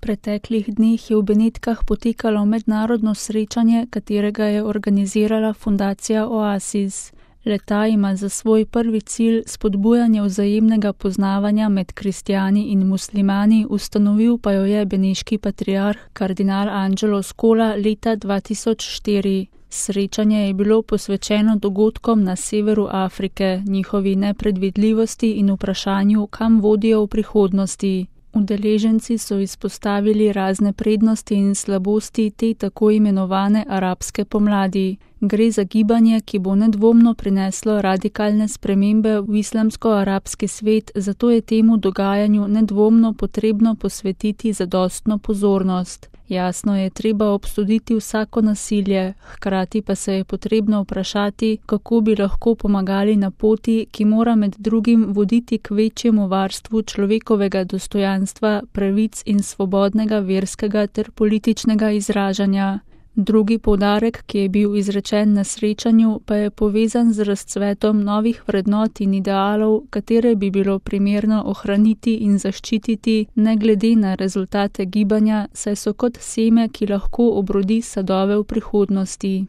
preteklih dneh je v Benetkah potekalo mednarodno srečanje, katerega je organizirala fundacija Oasis. Le-ta ima za svoj prvi cilj spodbujanje vzajemnega poznavanja med kristjani in muslimani, ustanovil pa jo je beneški patriarh kardinal Angelo Scola leta 2004. Srečanje je bilo posvečeno dogodkom na severu Afrike, njihovi nepredvidljivosti in vprašanju, kam vodijo v prihodnosti. Udeleženci so izpostavili razne prednosti in slabosti te tako imenovane arabske pomladi. Gre za gibanje, ki bo nedvomno prineslo radikalne spremembe v islamsko-arabski svet, zato je temu dogajanju nedvomno potrebno posvetiti zadostno pozornost. Jasno je treba obsoditi vsako nasilje, hkrati pa se je potrebno vprašati, kako bi lahko pomagali na poti, ki mora med drugim voditi k večjemu varstvu človekovega dostojanstva, pravic in svobodnega verskega ter političnega izražanja. Drugi poudarek, ki je bil izrečen na srečanju, pa je povezan z razcvetom novih vrednot in idealov, katere bi bilo primerno ohraniti in zaščititi, ne glede na rezultate gibanja, saj so kot seme, ki lahko obrodi sadove v prihodnosti.